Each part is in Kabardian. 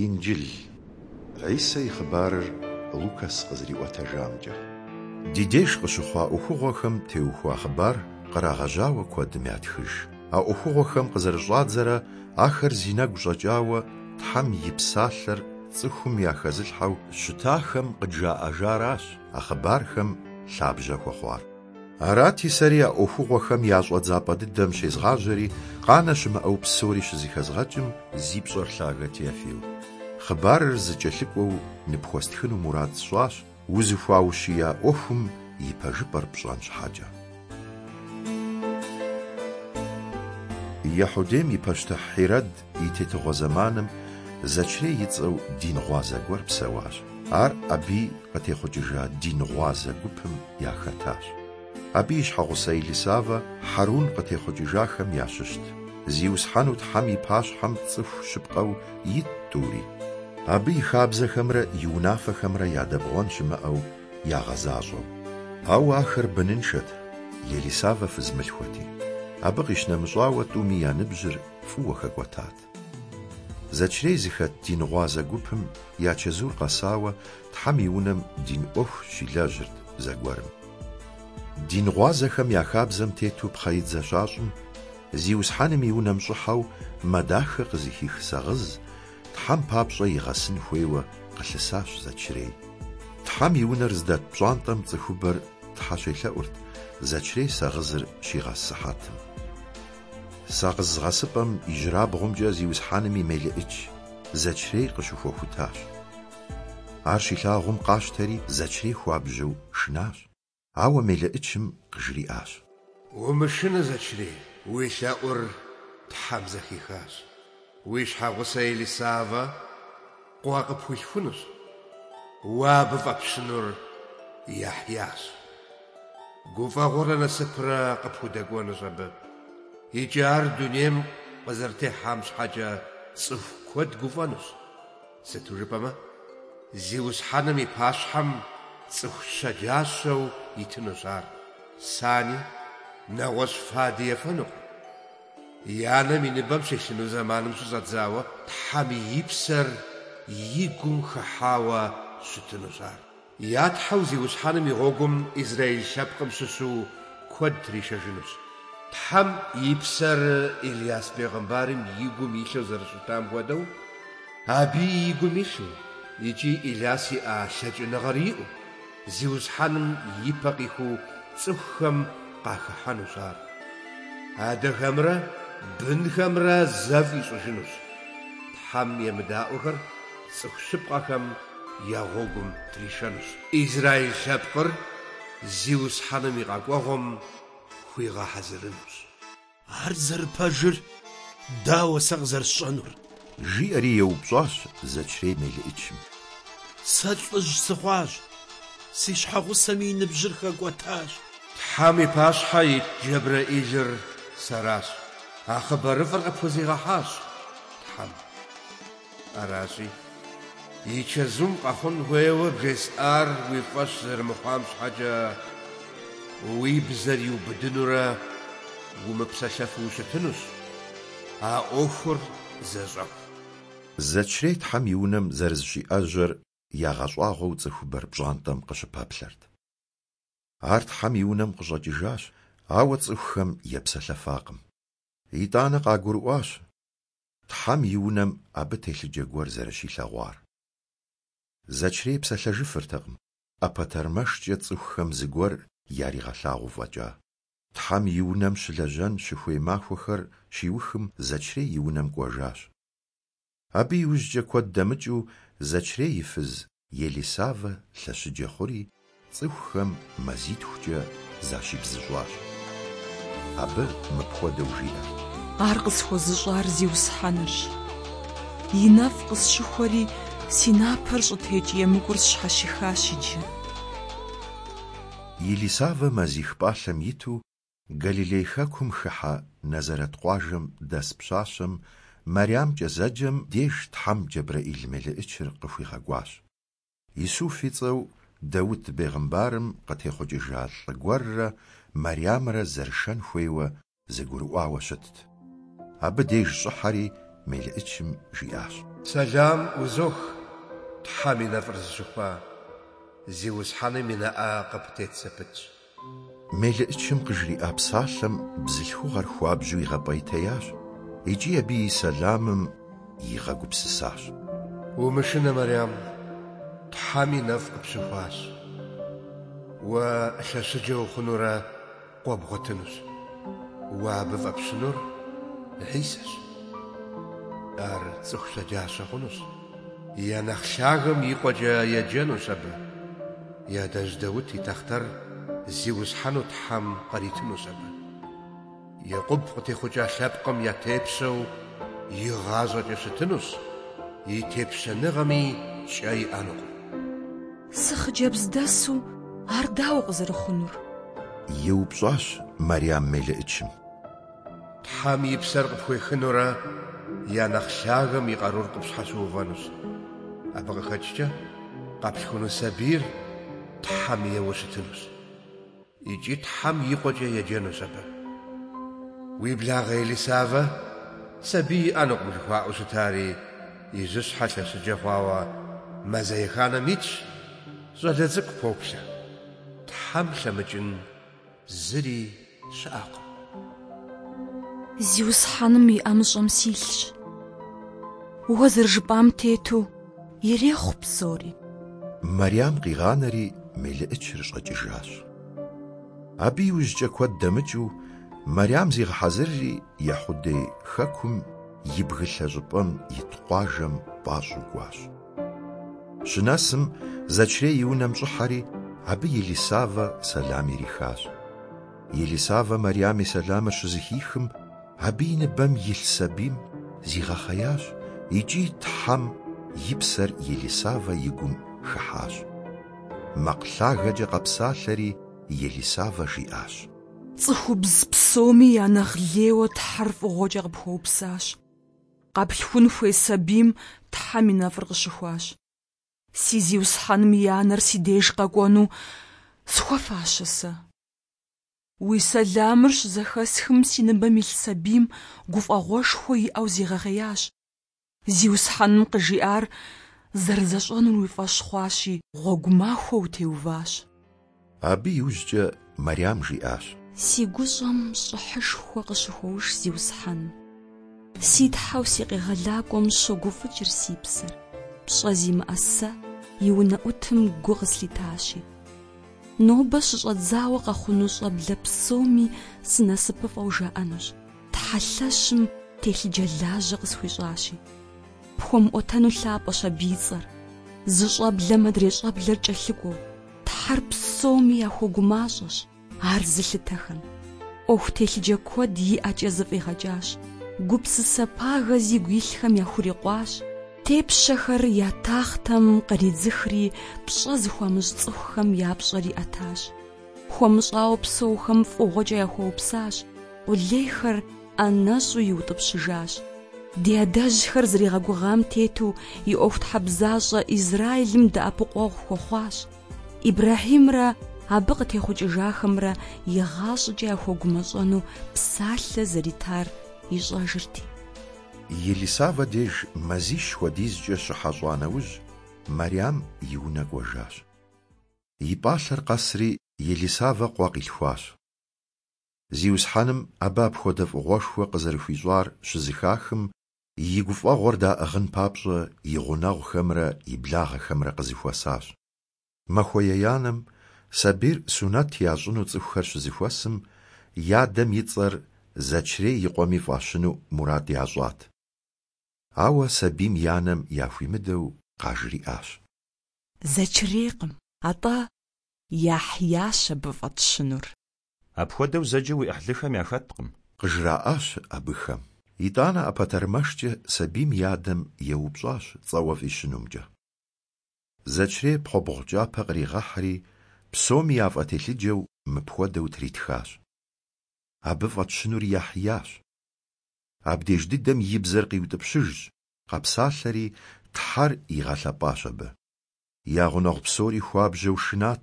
Инджыл. Хьисэ и хъыбарыр Лукас къызэриӏуэтэжамкӏэ. Ди деж къыщыхъуа ӏуэхугъуэхэм теухуа хъыбар кърагъэжьауэ куэдым ятхыж. А ӏуэхугъуэхэм къызэрыщӏадзэрэ ахэр зи нэгу щӏэкӏауэ Тхьэм и псалъэр цӏыхум яхэзылъхьэу щытахэм къыджаӏэжаращ а хъыбархэм лъабжьэ хуэхъуар. Арати, сэри а ӏуэхугъуэхэм я щӏэдзапӏэ дыдэм щезгъажьэри, къанэ щымыӏэу псори щызэхэзгъэкӏым, зи пщӏэр лъагэ Теофил, хъыбарыр зэкӏэлъыкӏуэу ныпхуэстхыну мурад сщӏащ, узыхуаущия ӏуэхум и пэжыпӏэр пщӏэн щхьэкӏэ. Ехьудейм и пащтыхь Хьирэд и тетыгъуэ зэманым Зэчрей и цӏэу дин гъуазэ гуэр псэуащ. Ар Абий къытехъукӏыжа дин гъуазэ гупым яхэтащ. Абы и щхьэгъусэ Елисавэ Хьэрун къытехъукӏыжахэм ящыщт. Зиусхьэну Тхьэм и пащхьэм цӏыху щыпкъэу итт тӏури. Абы и хабзэхэмрэ и унафэхэмрэ ядэбгъуэн щымыӏэу ягъэзащӏэу. Ауэ ахэр быныншэт, Елисавэ фызмылъхуэти. Абы къищынэмыщӏауэ тӏуми я ныбжьыр фӏыуэ хэкӏуэтат. Зэчрей зыхэт дин гъуазэ гупым я чэзур къэсауэ Тхьэм и унэм дин ӏуэху щилэжьырт зэгуэрым. Дин гъуазэхэм я хабзэм тету пхъэидзэ щащӏым, Зиусхьэным и унэм щӏыхьэу мэ дахэ къызыхих сагъыз Тхьэм папщӏэ игъэсын хуейуэ къылъысащ Зэчрей. Тхьэм и унэр зыдэт пщӏантӏэм цӏыхубэр Тхьэ щелъэӏурт Зэчрей сагъызыр щигъэс сыхьэтым. Сагъыз гъэсыпӏэм ижьырабгъумкӏэ Зиусхьэным и мелыӏыч Зэчрей къыщыхуэхутащ. Ар щилъагъум къащтэри Зэчрей хуабжьу шынащ. Ауэ мелыӏычым къыжриӏащ. Умышынэ, Зэчрей, уи лъэӏур Тхьэм зэхихащ. Уи щхьэгъусэ Елисавэ къуэ къыпхуилъхунущ. Уэ абы фӏэпщынур Яхьящ. Гуфӏэгъуэрэ насыпрэ къыпхудэкӏуэнущ абы. Икӏи ар дунейм къызэрытехьам щхьэкӏэ цӏыху куэд гуфӏэнущ. Сыту жыпӏэмэ, Зиусхьэным и пащхьэм цӏыху щэджащэу итынущ ар. Сани, нэгъуэщӏ фади ефэнукъым. И анэм и ныбэм щилъыну зэманым щыщӏэдзауэ Тхьэм и псэр и гум хыхьауэ щытынущ ар. Я Тхьэу Зиусхьэным и гъуэгум Израил лъэпкъым щыщу куэд тришэжынущ. Тхьэм и псэр Иляс бегъымбарым и гум илъу зэрыщытам хуэдэу, абыи и гум илъу, икӏи Иляс иӏа лъэкӏыныгъэр иӏэу, Зиусхьэным и пэ къихуэу цӏыхухэм къахыхьэнущ ар. Адэхэмрэ бынхэмрэ зэфӏ ищӏыжынущ. Тхьэм емыдаӏуэхэр цӏыху щыпкъэхэм я гъуэгум тришэнущ. Израил лъэпкъыр Зиусхьэным и къэкӏуэгъуэм хуигъэхьэзырынущ. Ар зэрыпэжыр дауэ сэ къызэрысщӏэнур? Жиӏэри еупщӏащ Зэчрей мелыӏычым. Сэ лӏыжь сыхъуащ, си щхьэгъусэми и ныбжьыр хэкӏуэтащ. Тхьэм и пащхьэ ит Джэбрэӏилыр сэращ. А хъыбарыфӏыр къыпхузигъэхьащ Тхьэм. Аращи, и чэзум къэхъун хуейуэ бжесӏар уи фӏэщ зэрымыхъуам щхьэкӏэ уи бзэр иубыдынурэ умыпсэлъэфу ущытынущ, а ӏуэхур зэщӏэху. Зэчрей Тхьэм и унэм зэрызыщиӏэжьэр ягъэщӏагъуэу цӏыхубэр пщӏантӏэм къыщыпэплъэрт. Ар Тхьэм и унэм къыщӏэкӏыжащ, ауэ цӏыхухэм епсэлъэфакъым. Итӏанэ къагурыӏуащ Тхьэм и унэм абы телъыджэ гуэр зэрыщилъэгъуар. Зэчрей псэлъэжыфыртэкъым, ӏэпэтэрмэшкӏэ цӏыхухэм зыгуэр яригъэлъагъуу фӏэкӏа. Тхьэм и унэм щылэжьэн щыхуей махуэхэр щиухым Зэчрей и унэм кӏуэжащ. Абы иужькӏэ куэд дэмыкӏыу Зэчрей и фыз Елисавэ лъэщыджэ хъури, цӏыхухэм мазитхукӏэ защибзыщӏащ. Абы мыпхуэдэу жиӏэрт. Ар къысхуэзыщӏар Зиусхьэнырщ. И нэфӏ къысщыхуэри, си напэр щӏытекӏ емыкӏур сщхьэщихащ иджы. Елисавэ мазих пӏалъэм иту Галилей хэкум хыхьэ Назарэт къуажэм дэс пщащэм Мэрямкӏэ зэджэм деж Тхьэм Джэбрэӏил мелыӏычыр къыхуигъэкӏуащ. Исуф и цӏэу Даут бегъымбарым къытехъукӏыжа лӏы гуэррэ Мэрямрэ зэрышэн хуейуэ зэгурыӏуауэ щытт. Абы деж щӏыхьэри мелыӏычым жиӏащ. Сэлам узох, Тхьэм и нэфӏыр зыщыхуа, Зиусхьэным и нэӏэ къыптет зэпытщ. Мелыӏычым къыжриӏа псалъэм бзылъхугъэр хуабжьу игъэпӏейтеящ икӏи абы и сэламым игъэгупсысащ. Умышынэ, Мэрям, Тхьэм и нэфӏ къыпщыхуащ. Уэ лъэщыджэ ухъунурэ къуэ бгъуэтынущ. Уэ абы фӏэпщынур Хьисэщ. Ар цӏыху щэджащэ хъунущ. Я нэхъ лъагэм и къуэкӏэ еджэнущ абы. И адэжь Даут и тахътэр Зиусхьэну Тхьэм къритынущ абы. Екъуб къытехъукӏа лъэпкъым я тепщэу игъащӏэкӏэ щытынущ, и тепщэныгъэми кӏэ иӏэнукъым. Сыхъыджэбздэсу ар дауэ къызэрыхъунур? Еупщӏащ Мэрям мелыӏычым. Тхьэм и псэр къыпхуехынурэ, я нэхъ лъагэм и къарур къыпщхьэщыувэнущ. Абы къыхэкӏкӏэ къэплъхуну сабийр Тхьэм ейуэ щытынущ. Икӏи Тхьэм и къуэкӏэ еджэнущ абы. Уи благъэ Елисавэ сабий иӏэнукъым жыхуаӏэу щытари, и жьыщхьэ лъэщыджэ хъуауэ мазэ еханэм итщ, щӏалэ цӏыкӏу поплъэ. Тхьэм лъэмыкӏын зыри щыӏэкъым. Зиусхьэным и ӏэмыщӏэм силъщ. Уэ зэрыжыпӏам тету ирехъу псори. Мэрям къигъанэри мелыӏычыр щӏэкӏыжащ. Абы иужькӏэ куэд дэмыкӏыу Мэрям зигъэхьэзырри Ехьудей хэкум и бгылъэ щӏыпӏэм ит къуажэм пӏащӏэу кӏуащ. Щынэсым, Зэчрей и унэм щӏыхьэри, абы Елисавэ сэлам ирихащ. Елисавэ Мэрям и сэламыр щызэхихым, абы и ныбэм илъ сабийм зигъэхъеящ икӏи Тхьэм и псэр Елисавэ и гум хыхьащ. Макъ лъагэкӏэ къэпсалъэри, Елисавэ жиӏащ. Цӏыхубз псоми я нэхъ лейуэ Тхьэр фӏыгъуэкӏэ къыпхуэупсащ. Къэплъхун хуей сабийм Тхьэм и нэфӏыр къыщыхуащ. Си Зиусхьэным и анэр си деж къэкӏуэну схуэфащэ сэ? Уи сэламыр щызэхэсхым си ныбэм илъ сабийм гуфӏэгъуэшхуэ иӏэу зигъэхъеящ. Зиусхьэным къыжиӏар зэрызэщӏэнур уи фӏэщ хъуащи, гъуэгу махуэ утеуващ. Абы иужькӏэ Мэрям жиӏащ. Си гущӏэм щӏыхьышхуэ къыщыхуоуш Зиусхьэным. Си Тхьэу си Къегъэлакӏуэм щогуфӏыкӏыр си псэр, пщӏэ зимыӏэ сэ и унэӏутым гу къыслъитащи. Нобэ щыщӏэдзауэ къэхъуну щӏэблэ псоми сынасыпыфӏэу жаӏэнущ, Тхьэ лъэщым телъыджэлажьэ къысхуищӏащи. Пхуэмыӏуэтэну лъапӏэщ абы и цӏэр, зы щӏэблэм адрей щӏэблэр кӏэлъыкӏуэу. Тхьэр псоми яхуэгумащӏэщ, ар зылъытэхэм. ӏуэху телъыджэ куэд и ӏэкӏэ зэфӏигъэкӏащ, гупсысэ пагэ зигу илъхэм яхурикъуащ, тепщэхэр я тахътэм къридзыхри пщӏэ зыхуамыщӏ цӏыхухэм я пщӏэр иӏэтащ. Хуэмыщӏауэ псэухэм фӏыгъуэкӏэ яхуэупсащ, къулейхэр ӏэнэщӏу иутӏыпщыжащ. Ди адэжьхэр зэригъэгугъам тету и ӏуэхутхьэбзащӏэ Израилым дэӏэпыкъуэгъу хуэхъуащ. Ибрэхьимрэ абы къытехъукӏыжахэмрэ игъащӏэкӏэ яхуэгумэщӏэну псалъэ зэритар ищӏэжырти. Елисавэ деж мазищ хуэдизкӏэ щыхьэщӏа нэужь, Мэрям и унэ кӏуэжащ. И пӏалъэр къэсри, Елисавэ къуэ къилъхуащ. Зиусхьэным абы апхуэдэ фӏыгъуэшхуэ къызэрыхуищӏар щызэхахым, и гуфӏэгъуэр даӏыгъын папщӏэ и гъунэгъухэмрэ и благъэхэмрэ къызэхуэсащ. Махуэ еянэм сабийр сунэт ящӏыну цӏыхухэр щызэхуэсым, и адэм и цӏэр Зэчрей и къуэми фӏащыну мурад ящӏат. Ауэ сабийм и анэм яхуимыдэу къажриӏащ. Зэчрейкъым, атӏэ Яхьящ абы фӏэтщынур. Апхуэдэу зэджэ уи ӏыхьлыхэм яхэткъым. Къыжраӏащ абыхэм. Итӏанэ ӏэпэтэрмэшкӏэ сабийм и адэм еупщӏащ цӏэуэ фӏищынумкӏэ. Зэчрей пхъэбгъу кӏапэ къригъэхьри, псоми яфӏэтелъыджэу мыпхуэдэу тритхащ. Абы фӏэтщынур Яхьящ. Абдеж дыдэм и бзэр къиутӏыпщыжщ, къэпсалъэри, Тхьэр игъэлъэпӏащ абы. Я гъунэгъу псори хуабжьэу шынат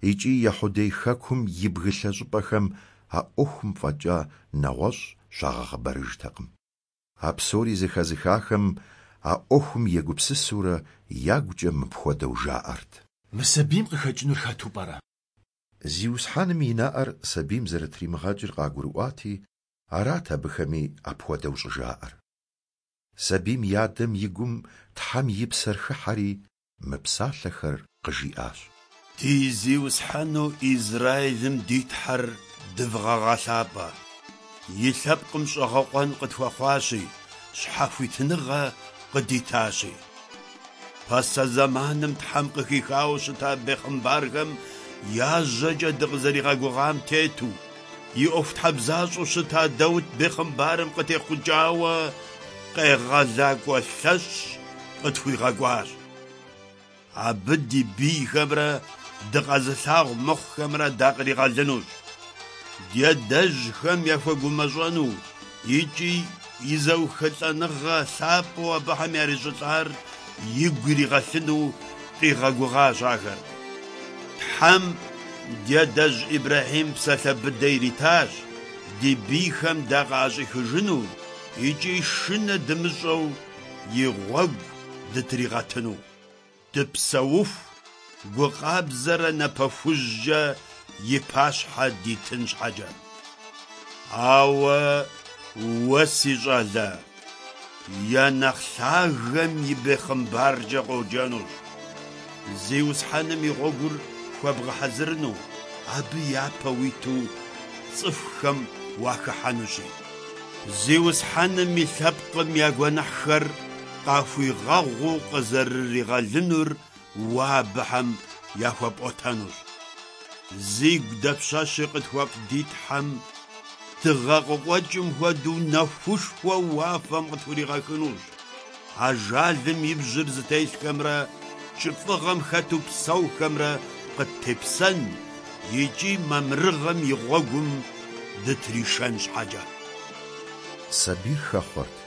икӏи Ехьудей хэкум и бгылъэ щӏыпӏэхэм а ӏуэхум фӏэкӏа нэгъуэщӏ щагъэхъыбарыжтэкъым. А псори зэхэзыхахэм а ӏуэхум егупсысурэ ягукӏэ мыпхуэдэу жаӏэрт. Мы сабийм къыхэкӏынур хэту пӏэрэ? Зиусхьэным и нэӏэр сабийм зэрытримыгъэкӏыр къагурыӏуати, арат абыхэми апхуэдэу щӏыжаӏэр. Сабийм и адэм и гум Тхьэм и псэр хыхьэри, мы псалъэхэр къыжиӏащ. Ди Зиусхьэну Израилым ди Тхьэр дывгъэгъэлъапӏэ. И лъэпкъым щӏэгъэкъуэн къытхуэхъуащи, щхьэхуитыныгъэ къыдитащи. Пасэ зэманым Тхьэм къыхихауэ щыта бехъымбархэм я жьэкӏэ дыкъызэригъэгугъам тету, и ӏуэхутхьэбзащӏэу щыта Даут бехъымбарым къытехъукӏауэ Къегъэлакӏуэ лъэщ къытхуигъэкӏуащ. Абы ди бийхэмрэ дыкъэзылъагъу мыхъухэмрэ дакъригъэлынущ. Ди адэжьхэм яхуэгумэщӏэну икӏи и зэухылӏэныгъэ лъапӏэу абыхэм ярищӏылӏар игу иригъэлъыну къигъэгугъащ ахэр. Тхьэм ди адэжь Ибрэхьим псалъэ быдэ иритащ ди бийхэм дакъыӏэщӏихыжыну икӏи шынэ дымыщӏэу и гъуэгу дытригъэтыну. Дыпсэуху, гу къабзэрэ напэ хужькӏэ и пащхьэ дитын щхьэкӏэ. Ауэ уэ, си щӏалэ, я нэхъ лъагэм и бехъымбаркӏэ къоджэнущ. Зиусхьэным и гъуэгур хуэбгъэхьэзырыну, абы япэ уиту цӏыхухэм уахыхьэнущи. Зиусхьэным и лъэпкъым я гуэныхьхэр къахуигъэгъуу къызэрыригъэлынур уэ абыхэм яхуэпӏуэтэнущ. Зигу дапщэщи къытхуэфӏ ди Тхьэм дыгъэ къыкъуэкӏым хуэдэу нэхушхуэ уафэм къытхуригъэхынущ. Ажалым и бжьыр зытелъхэмрэ кӏыфӏыгъэм хэту псэухэмрэ къыттепсэн икӏи мамырыгъэм и гъуэгум дытришэн щхьэкӏэ. Сабийр хэхъуэрт,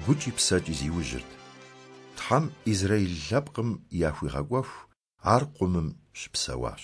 гукӏи псэкӏи зиужьырт. Тхьэм Израил лъэпкъым яхуигъэкӏуэху ар къумым щыпсэуащ.